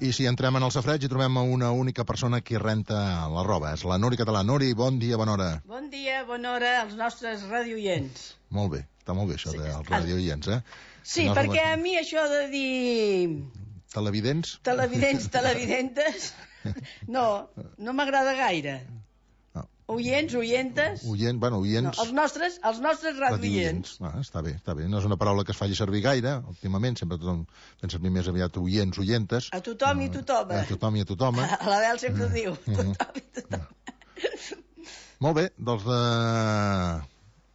I si entrem en el safareig i trobem una única persona que renta la roba. És la Nuri Català. Nuri, bon dia, bona hora. Bon dia, bona hora als nostres radioients. Molt bé, està molt bé això dels radioients, Sí, perquè a mi això de dir... Televidents? Televidentes, no m'agrada gaire. Oients, oientes... Oients. No, els nostres radioients. Està bé. No és una paraula que es faci servir gaire, últimament, sempre tothom fent servir més aviat oients, oientes. A tothom i tothom. A tothom i a tothom. A la Bel sempre ho diu, tothom i tothom. Molt bé, doncs,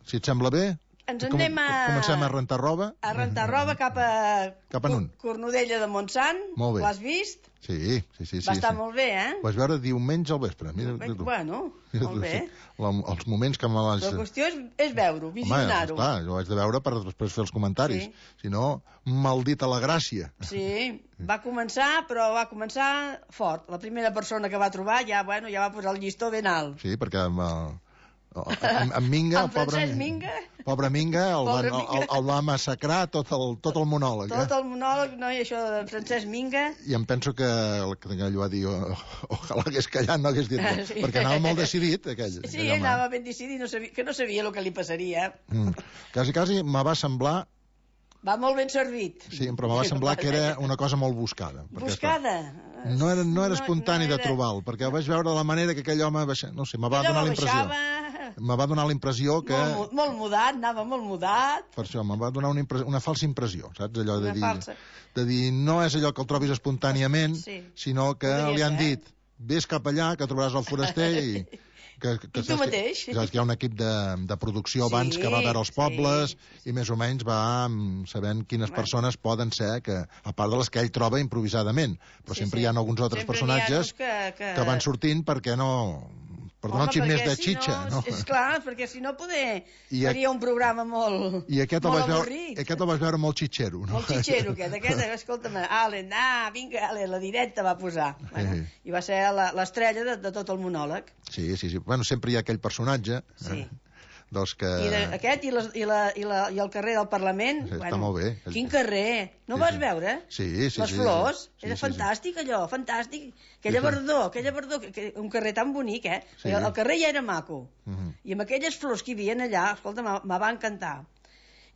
si et sembla bé... Ens en anem a... Comencem a rentar roba. A rentar roba cap a on? Cornudella de Montsant. Molt bé. L'has vist? Sí. Va estar molt bé, Ho vas veure diumenge al vespre. Bueno, molt bé. Els moments que me vas... La qüestió és veure-ho, visionar-ho. Home, clar, jo ho haig de veure per després fer els comentaris. Sí. Si no, maldita la gràcia. Sí, va començar fort. La primera persona que va trobar ja va posar el llistó ben alt. Sí, perquè... En Minga, pobre Minga, el va massacrar tot el monòleg. Tot el monòleg, no, i això de Francesc Minga. I em penso que allò va dir, ojalà hagués callat, no hagués dit res, perquè anava molt decidit, aquell. Sí, anava ben decidit, que no sabia el que li passaria. Quasi me va semblar... Va molt ben servit. Sí, però me va semblar que era una cosa molt buscada. Buscada? No era espontani de trobar-lo, perquè vaig veure la manera que aquell home baixava. No sé, me va donar la impressió. Me va donar la impressió que... Molt mudat, anava molt mudat. Per això, me va donar una falsa impressió, saps? Allò de dir, no és allò que el trobis espontàniament, sinó que li han dit, vés cap allà, que trobaràs el foraster i... I tu mateix. Saps que hi ha un equip de producció abans que va veure els pobles i més o menys va sabent quines persones poden ser, a part de les que ell troba improvisadament, però sempre hi ha alguns altres personatges que van sortint perquè no... Per donar un xic més de xitxa, no? És clar, perquè si no faria un programa molt avorrit. Aquest el vaig veure molt xitxero, no? Molt xitxero, aquest, escolta'm, vinga, la directa va posar. I va ser l'estrella de tot el monòleg. Sí. Bueno, sempre hi ha aquell personatge. Sí. Doncs que... Aquest i el carrer del Parlament. Està molt bé. Quin carrer? No ho vas veure? Sí. Les flors. Era fantàstic, allò, fantàstic. Aquella verdor, un carrer tan bonic, El carrer ja era maco. I amb aquelles flors que hi havia allà, escolta, me va encantar.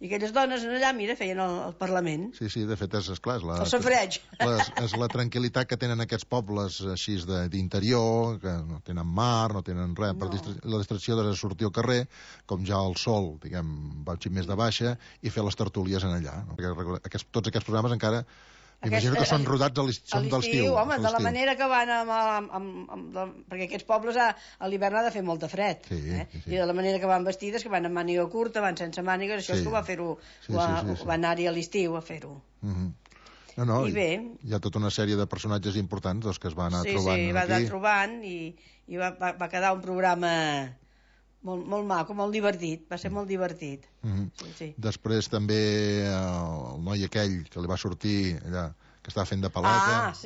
I aquelles dones allà, mira, feien el Parlament. Sí, de fet, és clar, el safareig. És la tranquil·litat que tenen aquests pobles així d'interior, que no tenen mar, no tenen res, la distracció de sortir al carrer, com ja el sol, diguem, va un xic més de baixa, i fer les tertúlies en allà. No? Perquè tots aquests programes encara... Imagino que són rodats a l'estiu. Home, de la manera que van perquè aquests pobles a l'hivern ha de fer molta fred. I de la manera que van vestides, que van amb màniga curta, van sense mànigues, això és que ho va fer-ho, va anar-hi a l'estiu a fer-ho. No, hi ha tota una sèrie de personatges importants que es van anar trobant aquí. Sí, va anar trobant i va quedar un programa... Molt maco, molt divertit, va ser molt divertit. Després també el noi aquell que li va sortir allà, que estava fent de paleta.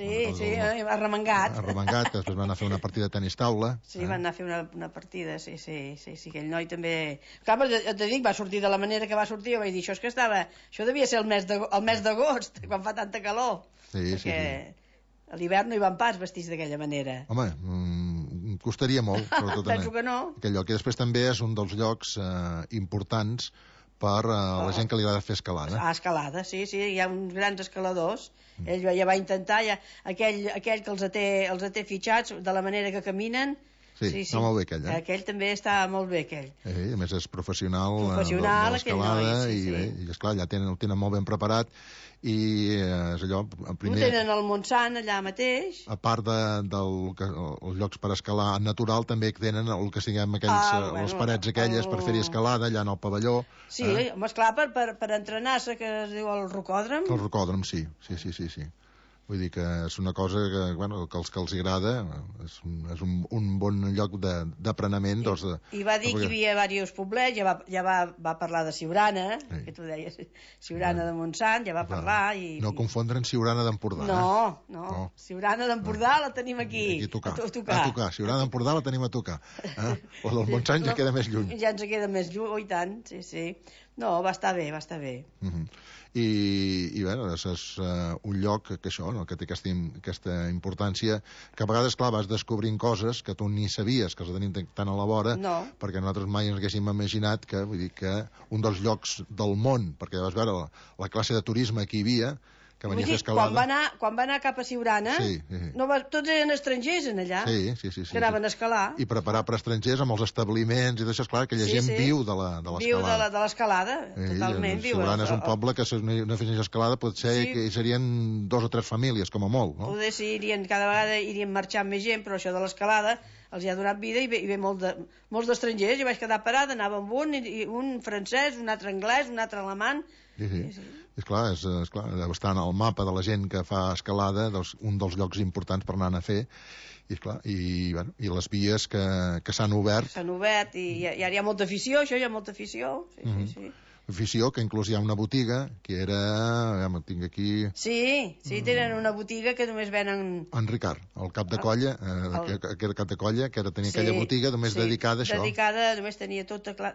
Arremangat. Que després van anar a fer una partida de tenis taula. Sí, van anar a fer una partida, sí, aquell noi també... Clar, et dic, va sortir de la manera que va sortir, jo vaig dir, això devia ser el mes d'agost, quan fa tanta calor. Perquè a l'hivern no hi van pas vestits d'aquella manera. Home, costaria molt. Penso que no. Aquell lloc. I després també és un dels llocs importants per la gent que li agrada fer escalada. Escalada, sí, hi ha uns grans escaladors. Ell ja va intentar, aquell que els té fitxats de la manera que caminen. Sí, està molt bé aquell, Aquell també està molt bé, aquell. A més és professional de l'escalada i esclar, allà el tenen molt ben preparat i és allò... Ho tenen al Montsant allà mateix. A part dels llocs per escalar natural, també tenen el que siguem les parets aquelles per fer-hi escalada allà en el pavelló. Sí, home, esclar, per entrenar-se, que es diu el rocòdrom. El rocòdrom, sí. Vull dir que és una cosa que, que els agrada, és un bon lloc d'apreniment. I va dir que hi havia diversos poblets, ja va parlar de Siurana, que tu deies, Siurana de Montsant, ja va parlar. No confondre amb Siurana d'Empordà. No, Siurana d'Empordà la tenim aquí, a tocar. Siurana d'Empordà la tenim a tocar. La del Montsant ja queda més lluny. Ja ens queda més lluny, i tant, sí. No, va estar bé, va estar bé. I bé, és un lloc que això, no? Que té aquesta importància, que a vegades, clar, vas descobrint coses que tu ni sabies que els tenim tan a la vora, perquè nosaltres mai ens haguéssim imaginat que, vull dir, que un dels llocs del món, perquè vas veure la classe de turisme que hi havia, que venia a fer escalada. Quan va anar cap a Siurana, tots eren estrangers en allà, que anaven a escalar. I preparar per estrangers amb els establiments i d'això, esclar, aquella gent viu de l'escalada. Viu de l'escalada, totalment viu. Siurana és un poble que si no fessin escalada potser que hi serien 2 o 3 famílies, com a molt, no? Poder si cada vegada irien marxant més gent, però això de l'escalada els hi ha donat vida i ve molts d'estrangers. Jo vaig quedar parada, anava amb un francès, un altre anglès, un altre alemany. És clar, deu estar en el mapa de la gent que fa escalada, un dels llocs importants per anar a fer, i les vies que s'han obert. S'han obert, i ara hi ha molta afició, hi ha molta afició, sí. Afició, que inclús hi ha una botiga, que era... Ja tinc aquí... Sí, tenen una botiga que només venen... En Ricard, el cap de colla, que era cap de colla, que tenia aquella botiga només dedicada a això. Només tenia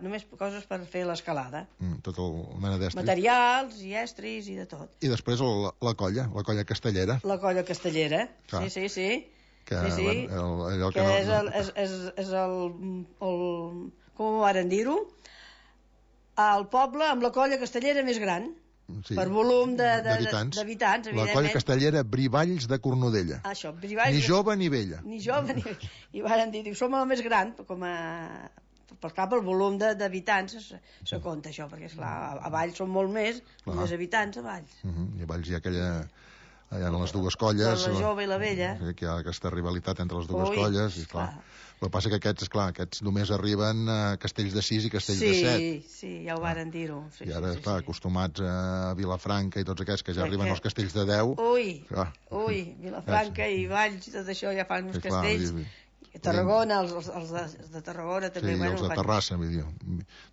només coses per fer l'escalada. Tot el mena d'estris. Materials i estris i de tot. I després la colla castellera. La colla castellera, sí. Que, allò que és el... Com ho varen dir-ho? El poble amb la colla castellera més gran, per volum d'habitants, evidentment. La colla castellera Brivalls de Cornudella. Això, Brivalls... Ni jove ni vella. I varen dir, som la més gran, pel volum d'habitants se compta això, perquè esclar, a Valls són molt més habitants a Valls. I a Valls hi ha aquella... Hi ha les dues colles... La jove i la vella. Que hi ha aquesta rivalitat entre les dues colles, i clar... El que passa que aquests només arriben a Castells de 6 i Castells de 7. Sí, ja ho varen dir-ho. I ara, acostumats a Vilafranca i tots aquests que ja arriben als Castells de 10... Ui, Vilafranca i Valls i tot això ja fan uns castells. Tarragona, els de Tarragona també. Sí, els de Terrassa, vull dir.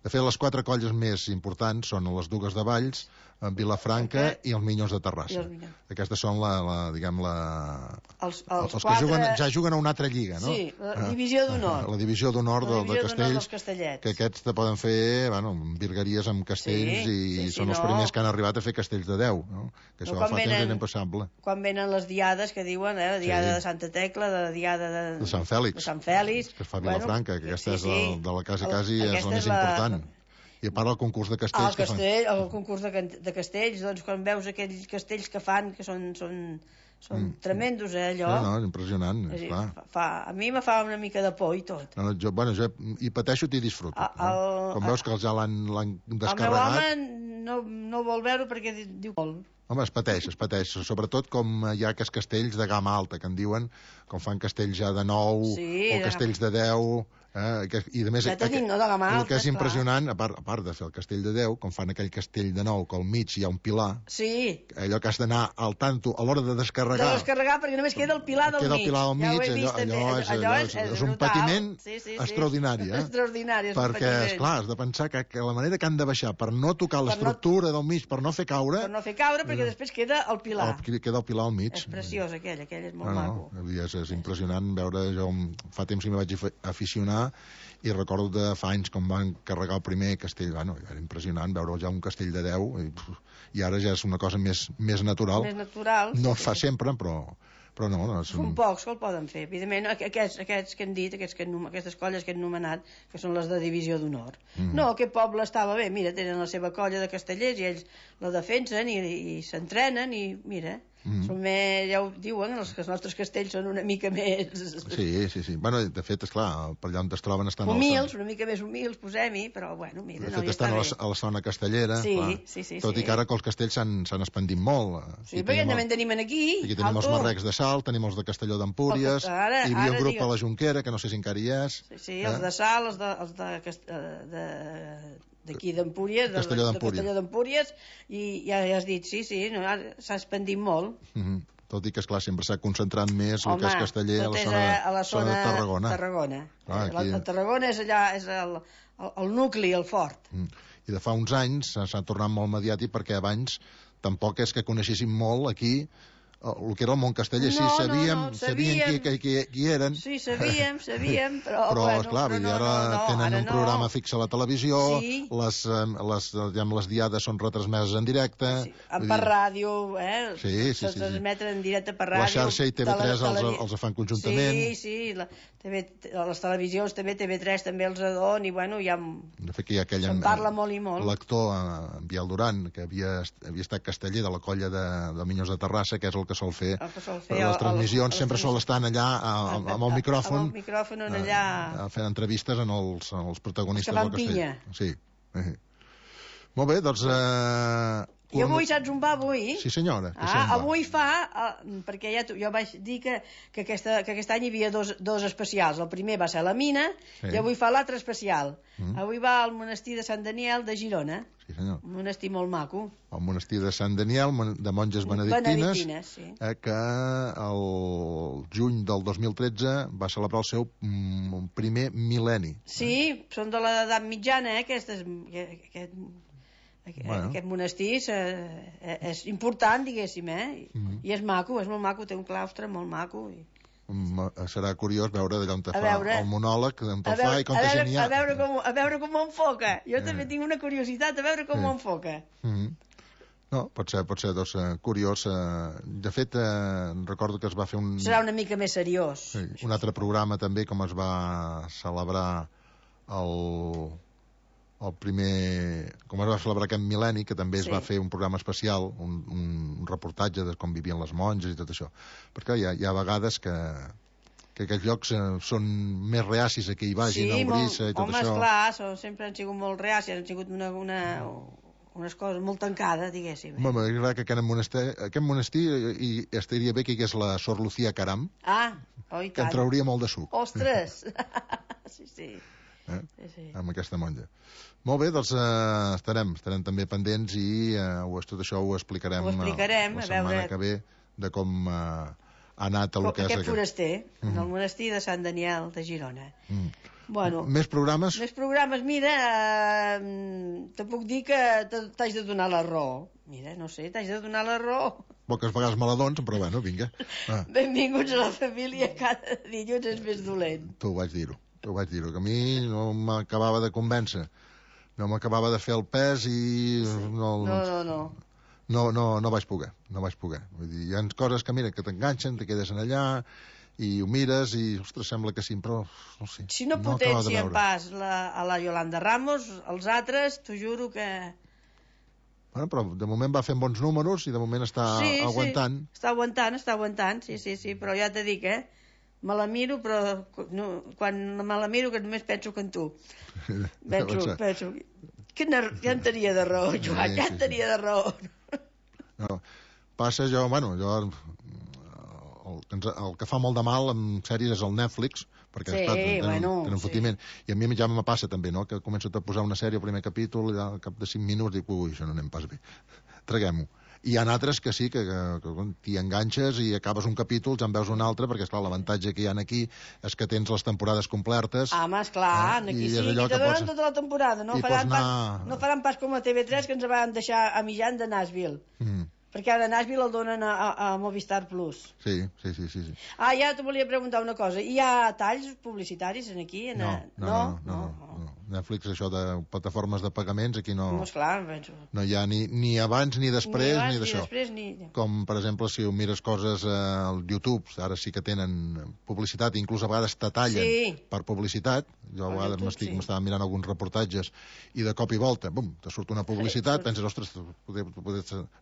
De fet, les 4 colles més importants són les Dugues de Valls, Vilafranca i els Minyons de Terrassa. Aquestes són els que ja juguen a una altra lliga, no? Sí, la divisió d'honor. La divisió d'honor de Castells, que aquests te poden fer virgueries amb castells i són els primers que han arribat a fer castells de 10, no? Que això fa temps era impassable. Quan venen les diades que diuen, la diada de Santa Tecla, la diada de Sant Fèlix, que es fa a Vilafranca, que aquesta és de la quasi és la més important. I a part el concurs de castells... El concurs de castells, doncs quan veus aquells castells que fan, que són tremendos, allò... No, impressionant, esclar. A mi me fa una mica de por i tot. Jo hi pateixo i disfruto. Quan veus que ja l'han descarregat... El meu home no vol veure perquè diu... Home, es pateix, sobretot com hi ha aquests castells de gamma alta, que en diuen, com fan castells ja de 9, o castells de 10... i a més el que és impressionant, a part de fer el castell de 10, com fan aquell castell de 9 que al mig hi ha un pilar, allò que has d'anar al tanto a l'hora de descarregar perquè només queda el pilar del mig, allò és un patiment extraordinari, perquè esclar, has de pensar que la manera que han de baixar per no tocar l'estructura del mig, per no fer caure, perquè després queda el pilar al mig. És preciós aquell és molt maco. És impressionant veure, jo fa temps que m'hi vaig aficionar i recordo de fa anys com van carregar el primer castell, era impressionant veure ja un castell de 10 i ara ja és una cosa més natural. No es fa sempre, però no. Són pocs que el poden fer. Evidentment, aquests que hem dit, aquestes colles que hem nomenat, que són les de divisió d'honor. No, aquest poble estava bé, mira, tenen la seva colla de castellers i ells la defensen i s'entrenen i mira... ja ho diuen, els nostres castells són una mica més... Sí. Bueno, de fet, esclar, per allà on es troben estan... Humils, una mica més humils, posem-hi, però bueno, mira... De fet, estan a la zona castellera, tot i que ara que els castells s'han expandit molt. Sí, perquè també en tenim aquí. Aquí tenim els marrecs de Salt, tenim els de Castelló d'Empúries, hi havia un grup a la Jonquera, que no sé si encara hi és... Sí, els de Salt, els d'aquí d'Empúries, de Castelló d'Empúries, i ja has dit, s'ha expandit molt. Tot i que, esclar, sempre s'ha concentrat més el que és casteller a la zona de Tarragona. A Tarragona és allà, és el nucli, el fort. I de fa uns anys s'ha tornat molt mediàtic perquè abans tampoc és que coneixéssim molt aquí el que era el món casteller. Sí, sabíem qui eren. Sí, sabíem, però... Però, esclar, ara tenen un programa fix a la televisió, les diades són retransmeses en directe... Per ràdio, Sí. Se transmeten en directe per ràdio. La xarxa i TV3 els fan conjuntament. Sí, les televisions també, TV3 també els adon, i bueno, ja... De fet, que hi ha aquell... Se'n parla molt i molt. L'actor, en Biel Duran, que havia estat casteller de la colla de Minyons de Terrassa, que és el que sol fer les transmissions, sempre sol estar allà amb el micròfon, fent entrevistes en els protagonistes del castell. Sí. Molt bé, doncs... I avui, saps on va avui? Sí, senyora. Avui perquè jo vaig dir que aquest any hi havia dos especials. El primer va ser la mina, i avui fa l'altre especial. Avui va al monestir de Sant Daniel de Girona. Sí, senyor. Un monestir molt maco. El monestir de Sant Daniel, de monges benedictines, que el juny del 2013 va celebrar el seu primer mil·lenni. Sí, són de l'edat mitjana, aquest monestir és important, diguéssim, i és maco, és molt maco, té un claustre molt maco. Serà curiós veure d'allà on te fa el monòleg, on te fa i com te genia. A veure com ho enfoca. Jo també tinc una curiositat, a veure com ho enfoca. No, pot ser doncs, curiós. De fet, recordo que es va fer Serà una mica més seriós. Un altre programa també, com es va celebrar com es va celebrar aquest mil·lenni, que també es va fer un programa especial, un reportatge de com vivien les monges i tot això. Perquè hi ha vegades que aquests llocs són més reacis a que hi vagin, a obrir-se i tot això. Home, esclar, sempre han sigut molt reacis, han sigut unes coses molt tancades, diguéssim. Home, m'agrada que aquest monestir hi estaria bé que hi hagués la Sor Lucía Caram, que en trauria molt de suc. Ostres! Sí. Amb aquesta monja. Molt bé, doncs estarem també pendents i tot això ho explicarem la setmana que ve, de com ha anat el que és aquest foraster, en el monestir de Sant Daniel de Girona. Bueno, més programes? Mira, te puc dir que t'haig de donar la raó. Mira, no sé, t'haig de donar la raó. Poques vegades me la dones, però bueno, vinga. Benvinguts a la família, cada dilluns és més dolent. T'ho vaig dir-ho, que a mi no m'acabava de convèncer. No m'acabava de fer el pes i... No vaig poder. Vull dir, hi ha coses que, mira, que t'enganxen, te quedes allà i ho mires i, ostres, sembla que sí, però no sé. Si no potencien pas a la Yolanda Ramos, els altres, t'ho juro que... Bueno, però de moment va fent bons números i de moment està aguantant. Sí, està aguantant, sí, però ja t'he dit, me la miro, però quan me la miro que només penso que en tu. Penso... Ja en tenia de raó, Joan, ja en tenia de raó. No, passa el que fa molt de mal en sèries és el Netflix, perquè tenen fotiment. I a mi ja me passa també, no?, que començo a posar una sèrie al primer capítol i al cap de 5 minuts dic, ui, això no anem pas bé, traguem-ho. I hi ha altres que sí, que t'hi enganxes i acabes un capítol, ja en veus un altre, perquè, esclar, l'avantatge que hi ha aquí és que tens les temporades complertes. Home, esclar, aquí sí, i te donen tota la temporada. No faran pas com a TV3, que ens van deixar a mitjan de Nashville. Perquè ara Nashville el donen a Movistar Plus. Sí. Ja t'ho volia preguntar una cosa. Hi ha talls publicitaris aquí? No. Netflix, això de plataformes de pagaments, aquí no... No hi ha ni abans ni després ni d'això. Com, per exemple, si ho mires coses al YouTube, ara sí que tenen publicitat, inclús a vegades te tallen per publicitat. Jo a vegades m'estava mirant alguns reportatges i de cop i volta, bum, te surt una publicitat, penses, ostres,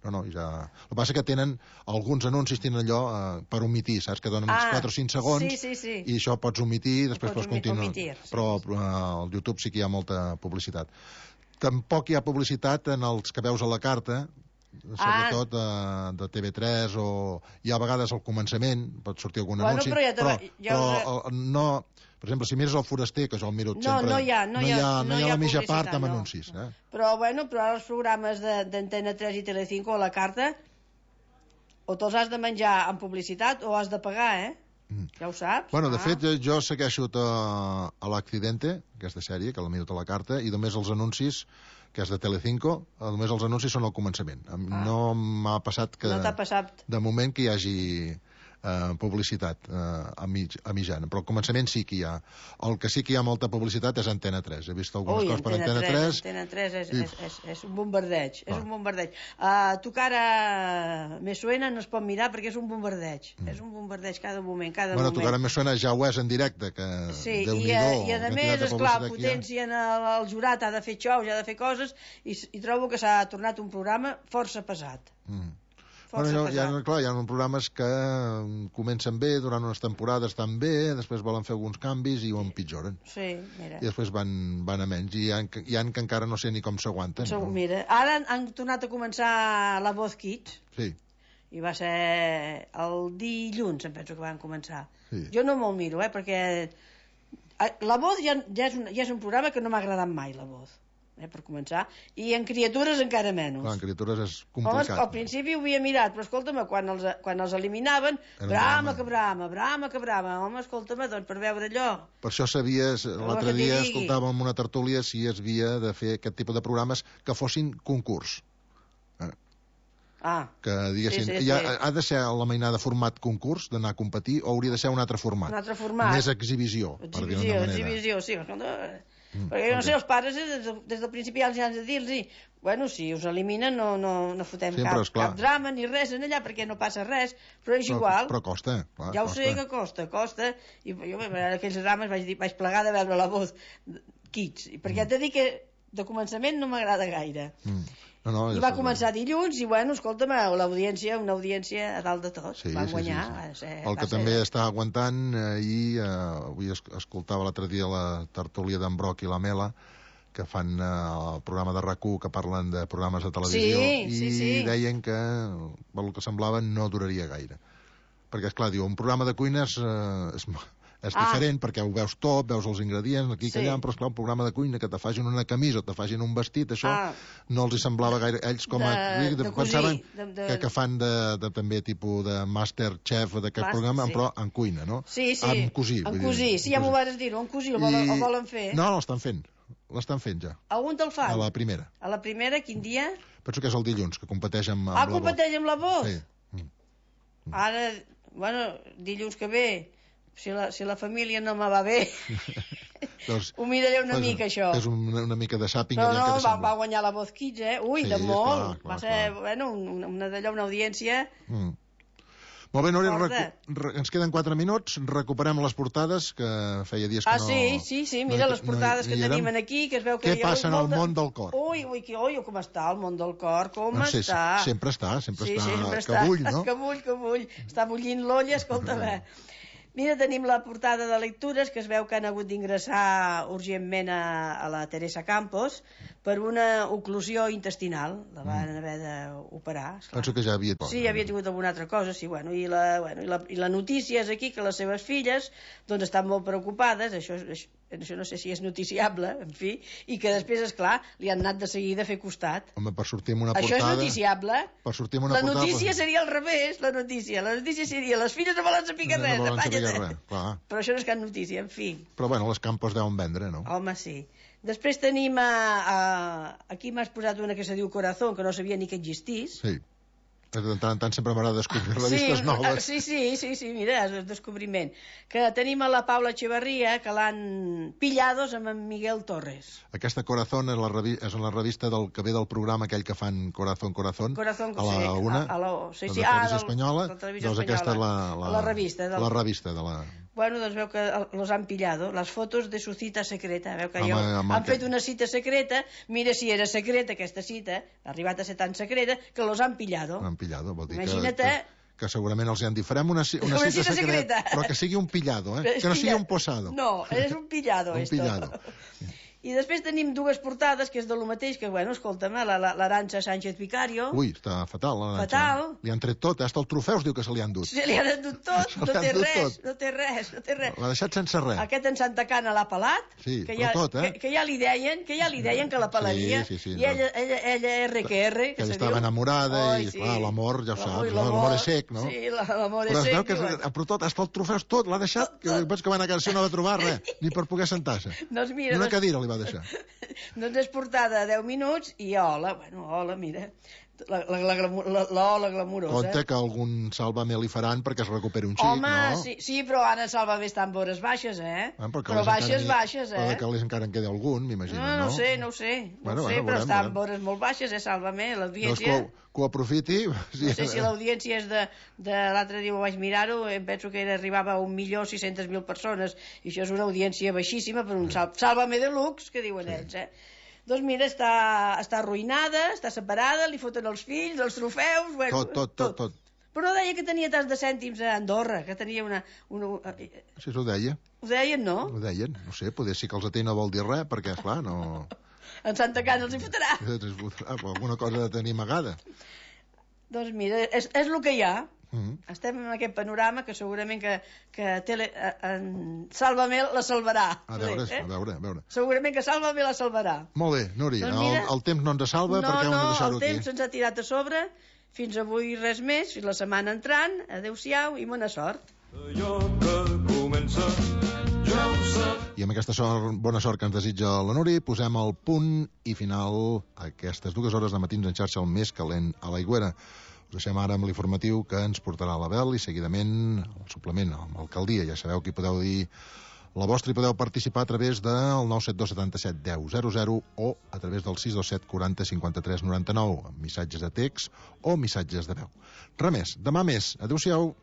no, ja... El que passa que tenen, alguns anuncis tenen allò per omitir, saps? Que donen 4 o 5 segons i això pots omitir i després pots continuar. Però al YouTube sí que hi ha molta publicitat. Tampoc hi ha publicitat en els que veus a la carta, sobretot de TV3, o hi ha a vegades al començament pot sortir algun anunci, però no... Per exemple, si mires el foraster, que jo el miro sempre, no hi ha la mitja part amb anuncis. Però ara els programes d'Antena 3 i Telecinco a la carta o te'ls has de menjar amb publicitat o has de pagar, ja ho saps. Bueno, de fet, jo segueixo a l'Accidente, aquesta sèrie, que la miro a la carta, i només els anuncis que és de Telecinco, només els anuncis són al començament. No m'ha passat que... No t'ha passat. De moment que hi hagi publicitat a mitjana, però al començament sí que hi ha. El que sí que hi ha molta publicitat és Antena 3. He vist algunes coses per Antena 3. Antena 3 és un bombardeig, és un bombardeig. Tu cara me suena no es pot mirar perquè és un bombardeig. És un bombardeig cada moment, Bueno, tu cara me suena ja ho és en directe, que sí, Déu-n'hi-do. I a més, esclar, potencien el jurat, ha de fer xous, ha de fer coses, i trobo que s'ha tornat un programa força pesat. Bueno, hi ha programes que comencen bé, durant unes temporades estan bé, després volen fer alguns canvis i ho empitjoren. Sí, mira. I després van a menys, i hi ha que encara no sé ni com s'aguanten. Mira, ara han tornat a començar La Voz Kids. Sí. I va ser el dilluns, em penso que van començar. Sí. Jo no me'l miro, perquè La Voz ja és un programa que no m'ha agradat mai, La Voz. Per començar, i en criatures encara menys. Clar, en criatures és complicat. Home, al principi ho havia mirat, però escolta'm, quan els eliminaven, brama que brama, home, escolta'm, doncs per veure allò. Per això sabies, l'altre dia escoltàvem una tertúlia si es havia de fer aquest tipus de programes que fossin concurs. Que diguessin, ha de ser la mainada format concurs, d'anar a competir, o hauria de ser un altre format? Un altre format. Més exhibició, per dir-ho d'una manera. Exhibició, sí, perquè jo no sé, els pares des del principi ja els han de dir-los, bueno, si us eliminen no fotem cap drama ni res en allà perquè no passa res, però és igual. Però costa, clar. Ja ho sé que costa, i jo en aquells drames vaig plegar de veure La Voz Kids, perquè t'he dit que de començament no m'agrada gaire. I va començar dilluns i, bueno, escolta'm, una audiència a dalt de tot. Van guanyar. El que també està aguantant, avui escoltava l'altre dia la tertúlia d'en Broc i la Mela, que fan el programa de RAC1, que parlen de programes de televisió, i deien que, pel que semblava, no duraria gaire. Perquè, esclar, diu, un programa de cuines és diferent, perquè ho veus tot, veus els ingredients, aquí que allà, però esclar, un programa de cuina que te facin una camisa o te facin un vestit, això no els hi semblava gaire. Ells com a pensaven que fan també tipus de Masterchef d'aquest programa, però en cuina, no? Sí. En cosir. En cosir, sí, ja m'ho vas dir, en cosir, el volen fer. No, l'estan fent ja. A on te'l fan? A la primera. A la primera, quin dia? Penso que és el dilluns, que competeix amb la Voz. Competeix amb La Voz? Sí. Ara, bueno, dilluns que ve, si la família no me va bé, ho miraré una mica, això. És una mica de sàping. No, va guanyar La Voz Kids, ui, de molt. Va ser, bueno, una audiència... Molt bé, Núria, ens queden 4 minuts, recuperem les portades, que feia dies que no... Sí, mira les portades que tenim aquí, que es veu que... Què passa en el món del cor? Ui, com està el món del cor, està... Sempre està, que bull, no? Que bull, està bullint l'olla, escolta'm. Mira, tenim la portada de lectures, que es veu que han hagut d'ingressar urgentment a la Teresa Campos per una oclusió intestinal. La van haver d'operar. Penso que ja havia... Sí, havia tingut alguna altra cosa, sí. I la notícia és aquí que les seves filles doncs estan molt preocupades, això no sé si és noticiable, en fi, i que després, esclar, li han anat de seguida a fer costat. Home, per sortir amb una portada... Això és noticiable. Per sortir amb una portada... La notícia seria al revés, la notícia seria les filles no volen saber res, però això no és cap notícia, en fi. Però bueno, les Campos deuen vendre, no? Home, sí. Després tenim aquí m'has posat una que se diu Corazón, que no sabia ni que existís. Sí. De tant en tant sempre m'agrada descobrir revistes noves. Sí, mira, és el descobriment. Que tenim a la Paula Echeverría, que l'han pillados amb en Miguel Torres. Aquesta Corazón és la revista del que ve del programa aquell que fan Corazón, a la una, de la televisió espanyola. Doncs aquesta és la revista de la... Bueno, doncs veu que los han pillado. Les fotos de su cita secreta. Veu que han fet una cita secreta. Mira si era secreta aquesta cita. Ha arribat a ser tan secreta que los han pillado. L'han pillado, vol dir que segurament els han dit farem una cita secreta, però que sigui un pillado, que no sigui un posado. No, és un pillado. Un pillado. I després tenim dues portades, que és de lo mateix, que, bueno, escolta'm, l'Arantxa Sánchez Vicario. Ui, està fatal, l'Arantxa. Fatal. Li han tret tot, hasta el trofeus diu que se li han dut. Se li han dut tot, no té res. L'ha deixat sense res. Aquest en Santa Cana l'ha pelat. Sí, però tot, que ja li deien que la pelaria. Sí. I ella RQR. Que ella estava enamorada i, clar, l'amor, ja ho saps, l'amor és sec, no? Sí, l'amor és sec. Però es veu que, però tot, hasta el trofeus tot, l'ha deixat, que veig que van a casa no va trobar res, ni per poder sentar-se. Doncs mira... Una cadira li va deixar. Doncs és portada 10 minuts i hola, mira, la glamurosa. Compte que algun Sálvame li faran perquè es recuperi un xic, home, no? sí, però ara Sálvame està en vores baixes, però baixes, Però que encara en quedi algun, m'imagino, no? No ho sé, però està en vores molt baixes, Sálvame, l'audiència... Doncs que ho aprofiti... No sé si l'audiència és de l'altre dia ho vaig mirar-ho, em penso que arribava a 1.600.000 persones, i això és una audiència baixíssima per un Sálvame de luxe, que diuen ells, Doncs mira, està arruïnada, està separada, li foten els fills, els trofeus... Tot. Però deia que tenia tants de cèntims a Andorra, que tenia una... Sí, ho deia. Ho deien, no? Ho deien, no sé, poder ser que els atén no vol dir res, perquè, esclar, no... En Santa Cana els hi fotrà. Alguna cosa de tenir amagada. Doncs mira, és el que hi ha. Estem en aquest panorama que segurament que Sálvame la salvarà. A veure. Segurament que Sálvame la salvarà. Molt bé, Núria, doncs mira, el temps no ens salva perquè hem de deixar-ho aquí. No, el temps se'ns ha tirat a sobre. Fins avui res més, fins la setmana entrant. Adéu-siau i bona sort. Allò que comença ja ho sap. I amb aquesta bona sort que ens desitja la Núria, posem el punt i final a aquestes 2 hores de matins en xarxa el més calent a l'Aigüera. Us deixem ara amb l'informatiu que ens portarà l'Abel i seguidament el suplement amb l'alcaldia. Ja sabeu que hi podeu dir la vostra i podeu participar a través del 972 77 10 00 o a través del 627 40 53 99 amb missatges de text o missatges de veu. Res més, demà més. Adéu-siau.